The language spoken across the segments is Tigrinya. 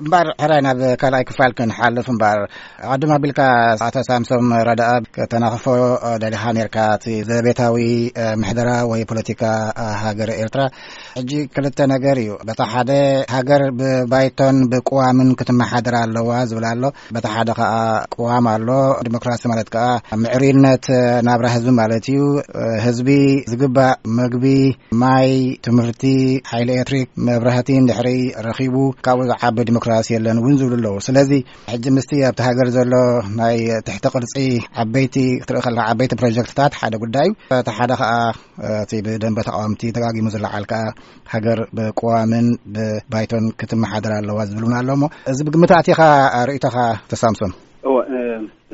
እምበር ሕራይ ናብ ካልኣይ ክፋል ክንሓልፍ እምበር፣ ኣቐድም ኣቢልካ ኣቶ ሳምሶም ረዳኣ ከተናኽፎ ደሊኻ ነርካ፣ እቲ ዘቤታዊ ምሕደራ ወይ ፖለቲካ ሃገር ኤርትራ። ሕጂ ክልተ ነገር እዩ። በታ ሓደ፣ ሃገር ብባይቶን ብቅዋምን ክትመሓደር ኣለዋ ዝብል ኣሎ። በታ ሓደ ከኣ ቅዋም ኣሎ፣ ዲሞክራሲ ማለት ከኣ ምዕሩይነት ናብራ ህዝቢ ማለት እዩ። ህዝቢ ዝግባእ መግቢ፣ ማይ፣ ትምህርቲ፣ ሓይሊ ኤሌክትሪክ፣ መብራህቲ እንድሕሪ ረኺቡ፣ ካብኡ ዝዓቢ ዲሞክራሲ የለን እውን ዝብሉ ኣለዉ። ስለዚ ሕጂ ምስቲ ኣብቲ ሃገር ዘሎ ናይ ትሕቲ ቅርጺ ዓበይቲ ክትርኢ ከለኻ፣ ዓበይቲ ፕሮጀክትታት ሓደ ጉዳይ እዩ። እቲ ሓደ ከኣ እቲ ብደንበ ተቃወምቲ ደጋጊሙ ዝለዓል ከኣ ሃገር ብቅዋምን ብባይቶን ክትመሓደር ኣለዋ ዝብል እውን ኣሎ። እሞ እዚ ብግምት ኣቲኻ ርእይቶኻ ተሳምሶም? እወ፣ እ፣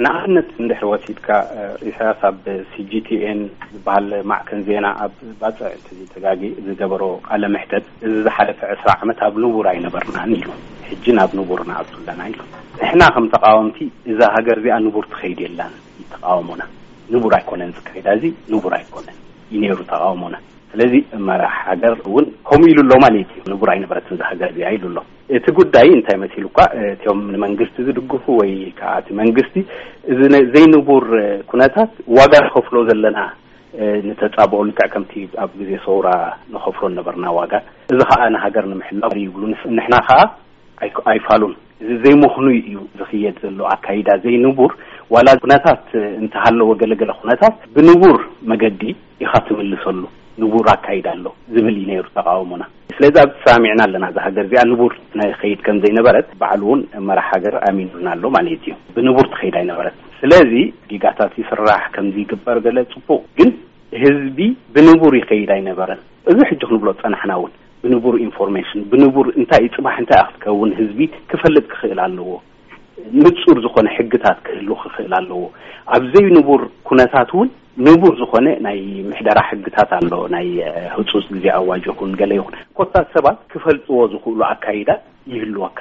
ንኣብነት እንድሕር ወሲድካ፣ እ፣ ኢሳያስ ኣብ ሲ ጂ ቲ ኤን ዝበሃል ማዕከን ዜና ኣብ ባጽዕ እንተዘይተጋጊ ዝገበሮ ቃለ መሕተት፣ እዚ ዝሓለፈ ዕስራ ዓመት ኣብ ንቡር ኣይነበርናን ኢሉ። ሕጂ ናብ ንቡር ንኣቱ ኣለና ኢሉ። ንሕና ከም ተቃወምቲ እዛ ሃገር እዚኣ ንቡር ትኸይድ የላን እዩ ተቃውሞና። ንቡር ኣይኮነን ዝካየዳ፣ እዚ ንቡር ኣይኮነን እዩ ነይሩ ተቃውሞና። ስለዚ መራሕ ሃገር እውን ከምኡ ኢሉ ኣሎ ማለት እዩ። ንቡር ኣይነበረትን እዛ ሃገር እዚኣ ኢሉ ኣሎ። እቲ ጉዳይ እንታይ መሲሉ እኳ፣ እቲኦም ንመንግስቲ ዝድግፉ ወይ ከዓ እቲ መንግስቲ እዚ ነ-፣ ዘይንቡር ኩነታት ዋጋ ንኸፍሎ ዘለና፣ ንተጻብኦ ልክዕ ከምቲ ኣብ ግዜ ሰውራ ንኸፍሎ ነበርና ዋጋ፣ እዚ ከዓ ንሃገር ንምሕላው እዩ ይብሉ። ንስ-፣ ንሕና ከዓ ኣይክ-፣ ኣይፋሉን። እዚ ዘይምኽኑይ እዩ ዝኽየድ ዘሎ ኣካይዳ ዘይንቡር። ዋላ ኩነታት እንተሃለወ፣ ገለገለ ኩነታት ብንቡር መገዲ ኢኻ ትምልሰሉ። ንቡር ኣካይዳ ኣሎ ዝብል እዩ ነይሩ ተቃውሞና። ስለዚ ኣብ ተሰማሚዕና ኣለና፣ እዛ ሃገር እዚኣ ንቡር ናይ ኸይድ ከም ዘይነበረት ባዕሉ እውን መራሕ ሃገር ኣሚኑና ኣሎ ማለት እዩ። ብንቡር ትኸይድ ኣይነበረት። ስለዚ ጌጋታት ይስራሕ፣ ከምዚ ይግበር፣ ገለ ጽቡቕ፣ ግን ህዝቢ ብንቡር ይኸይድ ኣይነበረን። እዚ ሕጂ ክንብሎ ጸናሕና እውን ብንቡር ኢንፎርሜሽን፣ ብንቡር እንታይ እዩ ጽባሕ እንታይ እዩ ክትከውን ህዝቢ ክፈልጥ ክኽእል ኣለዎ። ንጹር ዝኾነ ሕግታት ክህሉ ክኽእል ኣለዎ። ኣብ ዘይንቡር ኩነታት እውን ንቡር ዝኾነ ናይ ምሕደራ ሕግታት ኣሎ፣ ናይ፣ እ፣ ህጹጽ ግዜ ኣዋጅ ይኹን ገለ ይኹን፣ ኮታ ሰባት ክፈልጥዎ ዝኽእሉ ኣካይዳ ይህልወካ።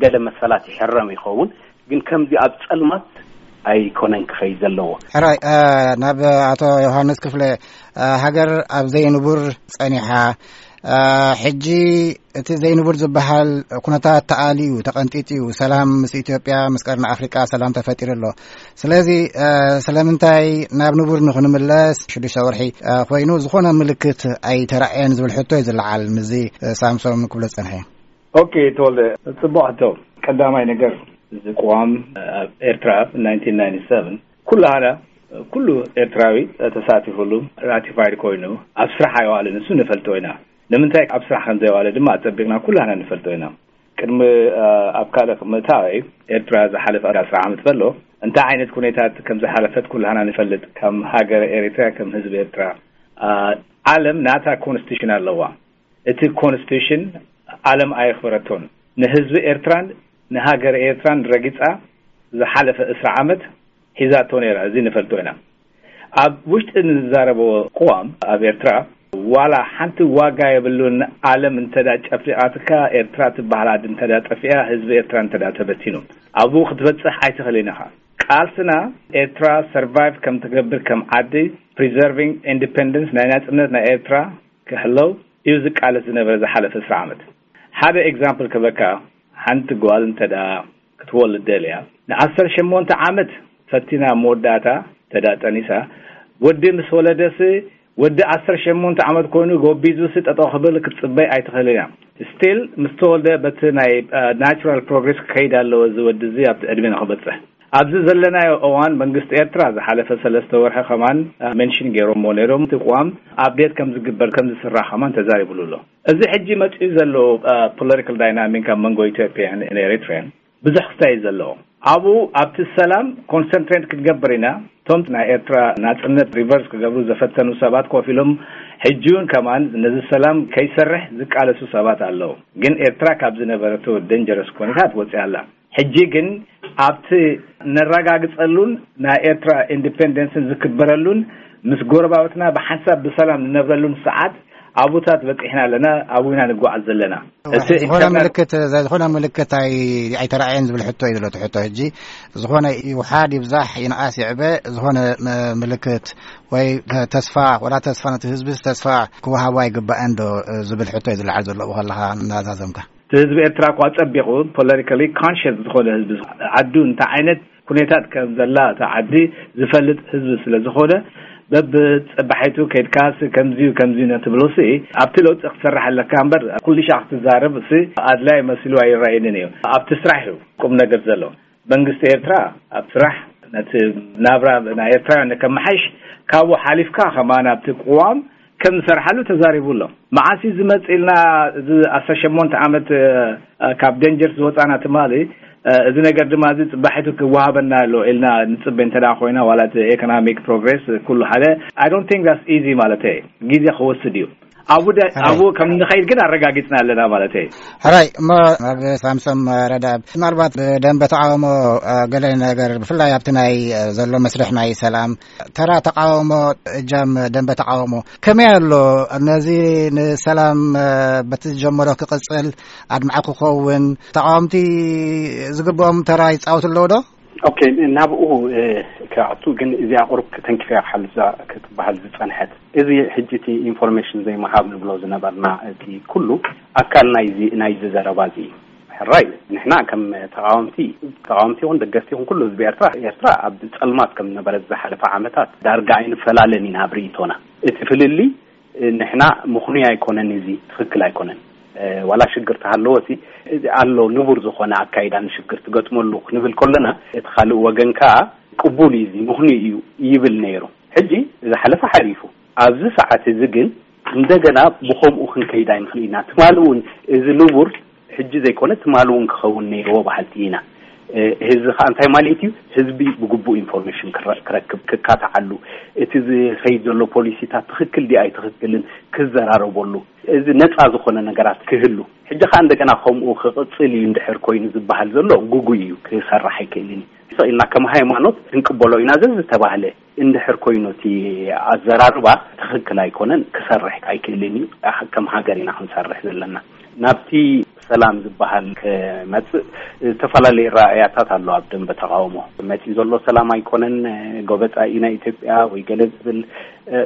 ገለ መሰላት ይሕረም ይኸውን፣ ግን ከምዚ ኣብ ጸልማት ኣይኮነን ክኸይድ ዘለዎ። ሕራይ፣ እ፣ ናብ ኣቶ ዮሃንስ ክፍለ፣ እ፣ ሃገር ኣብ ዘይንቡር ጸኒሓ፣ እ፣ ሕጂ እቲ ዘይንቡር ዝበሃል ኩነታት ተኣልዩ፣ ተቐንጢጡ እዩ። ሰላም ምስ ኢትዮጵያ፣ ምስ ቀርኒ ኣፍሪቃ ሰላም ተፈጢሩ ኣሎ። ስለዚ፣ እ፣ ስለምንታይ ናብ ንቡር ንኽንምለስ ሽዱሽተ ወርሒ፣ እ፣ ኮይኑ ዝኾነ ምልክት ኣይተራእየን ዝብል ሕቶ እዩ ዝለዓል። ምስዚ፣ እ፣ ሳምሶም ክብሎ ዝጸንሐ። ኦኬ፣ ተወልደ፣ ጽቡቕ ሕቶ። ቀዳማይ ነገር፣ እዚ ቅዋም ኣብ ኤርትራ ናይንቲን ናይንቲ ሰቨን ኩላህና፣ ኩሉ ኤርትራዊ ተሳቲፉሉ፣ ራቲፋይድ ኮይኑ ኣብ ስራሕ ኣይዋልን፣ ንሱ ንፈልጦ ኢና። ንምንታይ ኣብ ስራሕ ከም ዘይዋለ ድማ ኣጸቢቕና ኩላህና ንፈልጦ ኢና። ቅድሚ፣ እ፣ ኣብ ካልእ ምእታወይ፣ ኤርትራ ዝሓለፈ ኣስር ዓመት በሎ እንታይ ዓይነት ኩነታት ከም ዝሓለፈት ኩላህና ንፈልጥ። ከም ሃገር ኤርትራ፣ ከም ህዝቢ ኤርትራ፣ እ፣ ዓለም ናታ ኮንስቲቱሽን ኣለዋ። እቲ ኮንስቲቱሽን ዓለም ኣየኽበረቶን። ንህዝቢ ኤርትራን ንሃገር ኤርትራን ረጊጻ ዝሓለፈ ዕስራ ዓመት ሒዛቶ ነይራ። እዚ ንፈልጦ ኢና። ኣብ ውሽጢ ንዛረቦ ቅዋም ኣብ ኤርትራ ዋላ ሓንቲ ዋጋ የብሉን። ዓለም እንተዳ ጨፊቓትካ፣ ኤርትራ ትበሃል ዓዲ እንተዳ ጠፊኣ፣ ህዝቢ ኤርትራ እንተዳ ተበቲኑ፣ ኣብኡ ክትበጽሕ ኣይትኽእልን ኢኻ። ቃልስና ኤርትራ ሰርቫይቭ ከም ትገብር፣ ከም ዓዲ፣ ፕሪዘርቪንግ ኢንዲፐንደንስ፣ ናይ ናጽነት ናይ ኤርትራ ክሕለው እዩ ዝቃለስ ዝነበረ ዝሓለፈ ዕስራ ዓመት። ሓደ ኤግዛምፕል ክህበካ፣ ሓንቲ ጓል እንተ ደኣ ክትወልድ ደልያ፣ ንዓሰርተ ሸሞንተ ዓመት ፈቲና፣ መወዳእታ እንተ ደኣ ጠኒሳ፣ ወዲ ምስ ወለደስ፣ ወዲ ዓሰርተ ሸሞንተ ዓመት ኮይኑ ጎቢዙስ ጠጠው ክብል ክትጽበይ ኣይትኽእልን እያ። ስቲል ምስ ተወልደ በቲ ናይ፣ እ፣ ናቹራል ፕሮግሬስ ክኸይድ ኣለዎ፣ እዚ ወዲ እዚ ኣብቲ ዕድመ ንኽበጽሕ። ኣብዚ ዘለናዮ እዋን መንግስቲ ኤርትራ ዝሓለፈ ሰለስተ ወርሒ ከማን፣ እ፣ ሜንሽን ገይሮሞ ነይሮም፣ እቲ ቅዋም ኣፕዴት ከም ዝግበር፣ ከም ዝስራሕ ከማን ተዛሪቡሉ ኣሎ። እዚ ሕጂ መጺኡ ዘሎ፣ እ፣ ፖለቲካል ዳይናሚክ ኣብ መንጎ ኢትዮጵያን ኤሪትሪያን ብዙሕ ክስታይ እዩ ዘለዎ። ኣብኡ ኣብቲ ሰላም ኮንሰንትሬት ክንገብር ኢና። እቶም ናይ ኤርትራ ናጽነት ሪቨርስ ክገብሩ ዘፈተኑ ሰባት ኮፍ ኢሎም፣ ሕጂ እውን ከማን ነዚ ሰላም ከይሰርሕ ዝቃለሱ ሰባት ኣለዉ። ግን ኤርትራ ካብ ዝነበረቶ ደንጀረስ ኩነታት ወጺኣ ኣላ። ሕጂ ግን ኣብቲ ነረጋግጸሉን ናይ ኤርትራ ኢንዲፔንደንስን ዝክበረሉን፣ ምስ ጎረባብትና ብሓንሳብ ብሰላም ንነብረሉን ሰዓት፣ ኣብኡታት በጺሕና ኣለና፣ ኣብኡ ኢና ንጓዓዝ ዘለና። እቲ ዝኾነ ኢንተርናል ምልክት፣ ዝኾነ ምልክት ኣይ-፣ ኣይተረኣየን ዝብል ሕቶ እዩ ዘሎ እቲ ሕቶ። ሕጂ ዝኾነ ይውሓድ ይብዛሕ ይንኣስ ይዕበ፣ ዝኾነ ም-፣ ምልክት ወይ ተስፋ፣ ወላ ተስፋ ነቲ ህዝቢ ተስፋ ክወሃቦ ኣይግባእን ዶ ዝብል ሕቶ እዩ ዝለዓል ዘሎ ኣብኡ ከለኻ እናዛዘምካ? ህዝቢ ኤርትራ እኳ ጸቢቑ ፖለቲካሊ ኮንሽስ ዝኾነ ህዝቢ፣ ዓዱ እንታይ ዓይነት ኩነታት ከም ዘላ እታ ዓዲ ዝፈልጥ ህዝቢ ስለ ዝኾነ፣ በብጸባሒቱ ከይድካስ ከምዚዩ ከምዚዩ ነትብሎ ሲ ኣብቲ ለውጢ ክትሰርሕ ኣለካ እምበር፣ ኩሉ ሻዕ ክትዛረብ ሲ ኣድላይ መሲሉ ኣይረኣየንን እዩ። ኣብቲ ስራሕ እዩ ቁም ነገር ዘሎ። መንግስቲ ኤርትራ ኣብ ስራሕ ነቲ ናብራ ናይ ኤርትራውያን ከመሓይሽ፣ ካብኡ ሓሊፍካ ከማን ኣብቲ ቅዋም ከም ዝሰርሓሉ ተዛሪቡ ኣሎ። መዓስ እዩ ዝመጽእ ኢልና፣ እዚ ዓሰርተ ሸሞንተ ዓመት እ፣ ካብ ደንጀር ዝወጻና ትማሊ፣ እ፣ እዚ ነገር ድማ እዚ ጽባሒቱ ክወሃበና ኣሎ ኢልና ንጽበ እንተ ደኣ ኮይና፣ ዋላ እቲ ኤኮኖሚክ ፕሮግሬስ ኩሉ ሓደ፣ I don't think that's easy ማለት እዩ። ግዜ ክወስድ እዩ። ኣብኡ ደ-፣ ሕራይ። ኣብኡ ከም ንኸይድ ግን ኣረጋጊጽና ኣለና ማለት እዩ። ሕራይ፣ እሞ ኣብ ሳምሶም ረዳ፣ ምናልባት ብደንበ ተቃውሞ፣ እ፣ ገለ ነገር ብፍላይ ኣብቲ ናይ፣ እ፣ ዘሎ መስርሕ ናይ ሰላም ተራ ተቃውሞ፣ እጃም ደንበ ተቃውሞ ከመይ ኣሎ? ነዚ ንሰላም፣ እ፣ በቲ ዝጀመሮ ክቅጽል ኣድማዒ ክኸውን ተቃወምቲ ዝግብኦም ተራ ይጻወቱ ኣለዉ ዶ? ኦኬ፣ ናብኡ፣ እ፣ ክኣቱ ግን እዚኣ ቁሩብ ተንኪፈያ ክሓልፍ ክትበሃል ዝጸንሐት። እዚ ሕጂ እቲ ኢንፎርሜሽን ዘይምሃብ ንብሎ ዝነበርና እቲ ኩሉ ኣካል ናይዚ፣ ናይዚ ዘረባ እዚ እዩ። ሕራይ፣ ንሕና ከም ተቃወምቲ፣ ተቃወምቲ ይኹን ደገፍቲ ይኹን ኩሉ ህዝቢ ኤርትራ፣ ኤርትራ ኣብ ጸልማት ከም ዝነበረት ዝሓለፈ ዓመታት ዳርጋ ኣይንፈላለን ኢና ኣብ ርእይቶና። እቲ ፍልልይ፣ እ፣ ንሕና ምኽኑይ ኣይኮነን፣ እዚ ትኽክል ኣይኮነን። እ፣ ዋላ ሽግር ተሃለወ እቲ፣ እዚ ኣሎ ንቡር ዝኾነ ኣካይዳ ንሽግር ትገጥመሉ ክንብል ከለና፣ እቲ ካልእ ወገን ከኣ ቅቡል እዩ፣ እዚ ምኽኑይ እዩ ይብል ነይሩ። ሕጂ ዝሓለፈ ሓሊፉ፣ ኣብዚ ሰዓት እዚ ግን እንደገና ብኸምኡ ክንከይድ ኣይንኽእል ኢና። ትማሊ እውን እዚ ንቡር ሕጂ ዘይኮነ ትማሊ እውን ክኸውን ነይርዎ በሃልቲ ኢና። እ፣ እዚ ኸኣ እንታይ ማለት እዩ? ህዝቢ ብግቡእ ኢንፎርሜሽን ክረ-፣ ክረክብ፣ ክካትዓሉ፣ እቲ ዝኸይድ ዘሎ ፖሊሲታት ትኽክል ድዩ ኣይትኽክልን ክዘራረበሉ፣ እዚ ነጻ ዝኾነ ነገራት ክህሉ። ሕጂ ኸኣ እንደገና ከምኡ ክቕጽል እዩ እንድሕር ኮይኑ ዝበሃል ዘሎ ግጉይ እዩ፣ ክሰርሕ ኣይክእልን እዩ። ስቕ ኢልና ከም ሃይማኖት ክንቅበሎ ኢና ዘዝተባህለ እንድሕር ኮይኑ እቲ ኣዘራርባ ትኽክል ኣይኮነን፣ ክሰርሕ ኣይክእልን እዩ። ከም ሃገር ኢና ክንሰርሕ ዘለና። ናብቲ ሰላም ዝበሃል ክመጽእ ዝተፈላለዩ ራእያታት ኣሎ። ኣብ ደንበ ተቃውሞ መጺኡ ዘሎ ሰላም ኣይኮነን፣ ጎበጣ ኢና ኢትዮጵያ ወይ ገለ ዝብል፣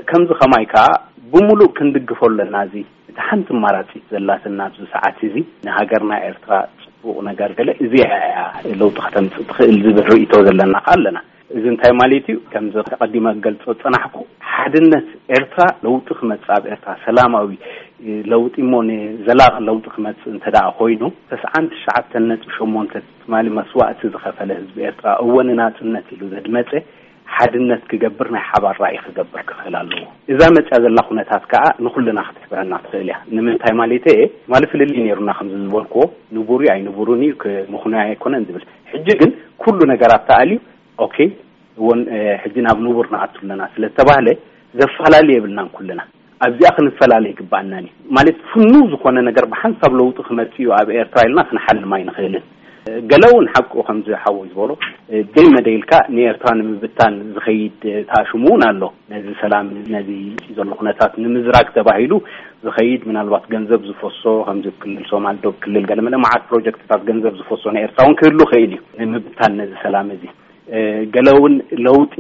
ከምዚ ከማይ ከኣ ብምሉእ ክንድግፎ ኣለና። እዚ እቲ ሓንቲ ኣማራጺት ዘላትና ኣብዚ ሰዓት እዚ ንሃገርና ኤርትራ ጽቡቕ ነገር ገለ እዚኣ እያ ለውጢ ከተምጽእ ትኽእል ዝብል ርእይቶ ዘለና ከኣ ኣለና። እዚ እንታይ ማለት እዩ? ከምዚ ቀዲመ ክገልጾ ዝጸናሕኩ፣ ሓድነት ኤርትራ ለውጢ ክመጽእ፣ ኣብ ኤርትራ ሰላማዊ ለውጢ እሞ ንዘላቒ ለውጢ ክመጽእ እንተ ደኣ ኮይኑ፣ ተስዓን ትሽዓተን ነጥቢ ሸሞንተ ትማሊ መስዋእቲ ዝኸፈለ ህዝቢ ኤርትራ፣ እወ ንናጽነት ኢሉ ዘድመጸ፣ ሓድነት ክገብር፣ ናይ ሓባር ራእይ ክገብር ክኽእል ኣለዎ። እዛ መጽያ ዘላ ኩነታት ከኣ ንኹልና ክትሕብረና ትኽእል እያ። ንምንታይ ማለተይ እየ? ትማሊ ፍልልይ ነይሩና፣ ከምዚ ዝበልክዎ፣ ንቡር እዩ ኣይንቡርን እዩ፣ ክ-፣ ምኽኑይ ኣይኮነን ዝብል። ሕጂ ግን ኩሉ ነገራት ተኣልዩ፣ ኦኬ፣ እውን፣ እ፣ ሕጂ ናብ ንቡር ንኣቱ ኣለና ስለ ዝተባህለ፣ ዘፈላለ የብልናን ኩልና። ኣብዚኣ ክንፈላለ ይግባኣናን እዩ። ማለት፣ ፍኑው ዝኾነ ነገር ብሓንሳብ ለውጢ ክመጽእ እዩ ኣብ ኤርትራ ኢልና ክንሓልም ኣይንኽእልን። ገለ እውን ሓቁ ከምዚ ሓወይ ዝበሎ፣ እ፣ ደይ መደይ ኢልካ ንኤርትራ ንምብታን ዝኸይድ፣ እ፣ ተኣሽሙ እውን ኣሎ። ነዚ ሰላም፣ ነዚ ዘሎ ኩነታት ንምዝራግ ተባሂሉ ዝኸይድ፣ ምናልባት ገንዘብ ዝፈሶ፣ ከምዚ ክልል ሶማል፣ ዶብ ክልል፣ ገለ መለ መዓት ፕሮጀክትታት ገንዘብ ዝፈሶ ንኤርትራ እውን ክህሉ ይኽእል እዩ፣ ንምብታን ነዚ ሰላም እዚ። እ፣ ገለ እውን ለውጢ፣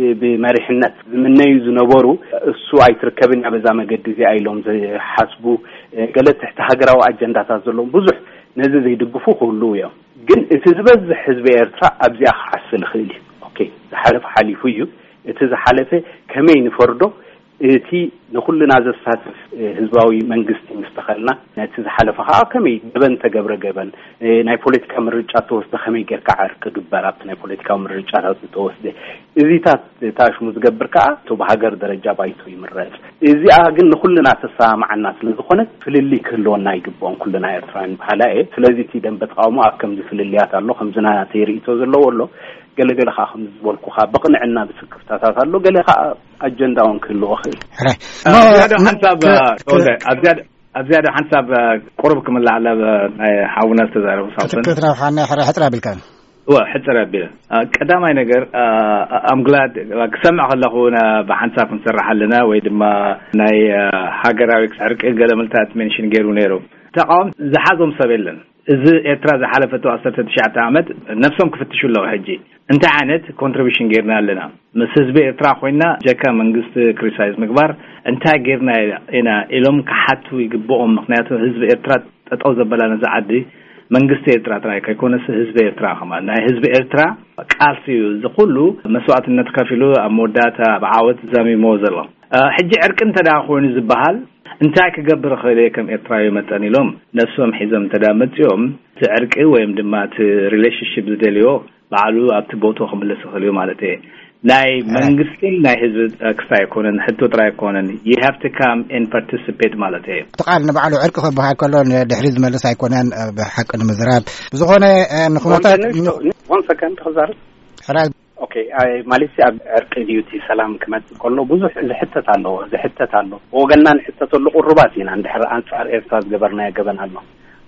እ፣ ብመሪሕነት ዝምነዩ ዝነበሩ፣ እሱ ኣይትርከብን እያ በዛ መገዲ እዚኣ ኢሎም ዝሓስቡ፣ እ፣ ገለ ትሕቲ ሃገራዊ ኣጀንዳታት ዘለዎም ብዙሕ ነዚ ዘይድግፉ ክህልዉ እዮም። ግን እቲ ዝበዝሕ ህዝቢ ኤርትራ ኣብዚኣ ክዓስል ይኽእል እዩ። ኦኬ፣ ዝሓለፈ ሓሊፉ እዩ። እቲ ዝሓለፈ ከመይ ንፈርዶ? እቲ ንኹልና ዘሳትፍ፣ እ፣ ህዝባዊ መንግስቲ ምስ ተኸልና፣ ነቲ ዝሓለፈ ኸኣ ከመይ ገበን ተገብረ ገበን፣ እ፣ ናይ ፖለቲካ ምርጫ ተወስደ ከመይ ጌርካ ዕርቂ ግበር ኣብቲ ናይ ፖለቲካዊ ምርጫታት ዝተወስደ። እዚታት ተኣሽሙ ዝገብር ከኣ እቶ ብሃገር ደረጃ ባይቶ ይምረጽ። እዚኣ ግን ንኹልና ተሰማምዓና ስለ ዝኾነት ፍልልይ ክህልወና ኣይግብኦን፣ ኩልና ኤርትራውያን በሃላይ እየ። ስለዚ እቲ ደንበ ተቃውሞ ኣብ ከምዚ ፍልልያት ኣሎ፣ ከምዚ ናተይ ርእይቶ ዘለዎ ኣሎ፣ ገለገለ ከኣ ከምዚ ዝበልኩኻ ብቕንዕና ብስክፍታታት ኣሎ፣ ገለ ከኣ ኣጀንዳ እውን ክህልዎ ይኽእል። ሕራይ። ኣብ ዝያዳ ም-፣ ሓንሳብ፣ ክ-፣ እ፣ ክ-፣ ተወልደ፣ ኣብ ዝያዳ፣ ኣብ ዝያዳ ሓንሳብ፣ እ፣ ቁሩብ ክምልኣላ፣ እ፣ ናይ ሓውና ዝተዛረቡ ሳምሶን። ክትረብሓና ሕረ-፣ ሕጽር ኣቢልካ። እወ፣ ሕጽር ኣቢለ። እ፣ ቀዳማይ ነገር፣ እ፣ I'm glad፣ እ፣ ክሰምዕ ከለኹ ን-፣ ብሓንሳብ ክንሰርሕ ኣለና ወይ ድማ ናይ፣ እ፣ ሃገራዊ ዕርቂ ገለ ምልታት ሜንሽን ገይሩ ነይሩ። ተቃወምቲ ዝሓዞም ሰብ የለን። እዚ ኤርትራ ዝሓለፈቶ ዓሰርተ ትሽዓተ ዓመት ነብሶም ክፍትሹ ኣለዉ። ሕጂ እንታይ ዓይነት ኮንትሪቢሽን ጌርና ኣለና? ምስ ህዝቢ ኤርትራ ኮይና ጀካ መንግስቲ ክሪቲሳይዝ ምግባር እንታይ ጌርና ኢና ኢሎም ክሓቱ ይግብኦም። ምኽንያቱ ህዝቢ ኤርትራ ጠጠው ዘበላ ነዚ ዓዲ መንግስቲ ኤርትራ ጥራይ ከይኮነስ ህዝቢ ኤርትራ ከማን፣ ናይ ህዝቢ ኤርትራ ቃልሲ እዩ። እዚ ኩሉ መስዋእትነት ከፊሉ ኣብ መወዳእታ ኣብ ዓወት ዘሚሞ ዘሎ። ሕጂ ዕርቂ እንተ ደኣ ኮይኑ ዝበሃል እንታይ ክገብር እኽእል እየ ከም ኤርትራዊ መጠን ኢሎም ነብሶም ሒዞም እንተ ደኣ መጺኦም፣ እቲ ዕርቂ ወይም ድማ እቲ ሪሌሽንሽፕ ዝደልዮ ባዕሉ ኣብቲ ቦቶ ክምልስ ይኽእል እዩ ማለት እየ። ናይ መንግስትን ናይ ህዝቢ ክስታይ ኣይኮነን፣ ሕቶ ጥራይ ኣይኮነን። You have to come and participate ማለት እየ። እቲ ቃል ንባዕሉ ዕርቂ ክበሃል ከሎ ንድሕሪ ዝመልስ ኣይኮነን። ብሓቂ ንምዝራብ ብዝኾነ ንኩነታት ን ክዛርብ ኦኬ። ማለትሲ ኣብ ዕርቂ ድዩ እቲ ሰላም ክመፅእ ከሎ ብዙሕ ዝሕተት ኣለዎ ዝሕተት ኣሎ። ብወገንና ንሕተተሉ ቁሩባት ኢና። እንድሕር ኣንፃር ኤርትራ ዝገበርናዮ ገበን ኣሎ፣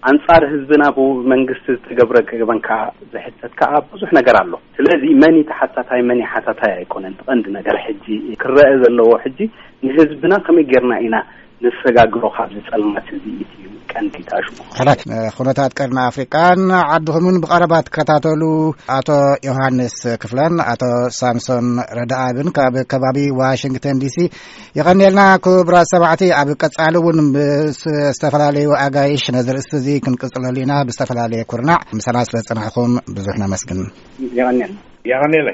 ኣንፃር ህዝብና ብመንግስቲ ዝተገብረ ገበን ከዓ ዝሕተት ከዓ ብዙሕ ነገር ኣሎ። ስለዚ መን ተሓታታይ መን ሓታታይ ኣይኮነን። ቀንዲ ነገር ሕጂ ክረአ ዘለዎ ሕጂ ንህዝብና ከመይ ጌርና ኢና ንሰጋግሮ ካብዚ ፀልማት እዚ እዩ ቀንዲ ታሽሙ። ሕራይ ኩነታት ቀርኒ ኣፍሪቃን ዓድኹምን ብቐረባ ትከታተሉ ኣቶ ዮሃንስ ክፍለን ኣቶ ሳምሶን ረዳኣብን ካብ ከባቢ ዋሽንግተን ዲሲ። የቐንየልና ክቡራት ሰማዕቲ፣ ኣብ ቀጻሊ እውን ምስ ዝተፈላለዩ ኣጋይሽ ነዚ ርእስቲ እዚ ክንቅጽለሉ ኢና። ብዝተፈላለየ ኩርናዕ ምሳና ስለ ዝጸናሕኩም ብዙሕ ነመስግን። የቐንየልና። የቐንየለይ።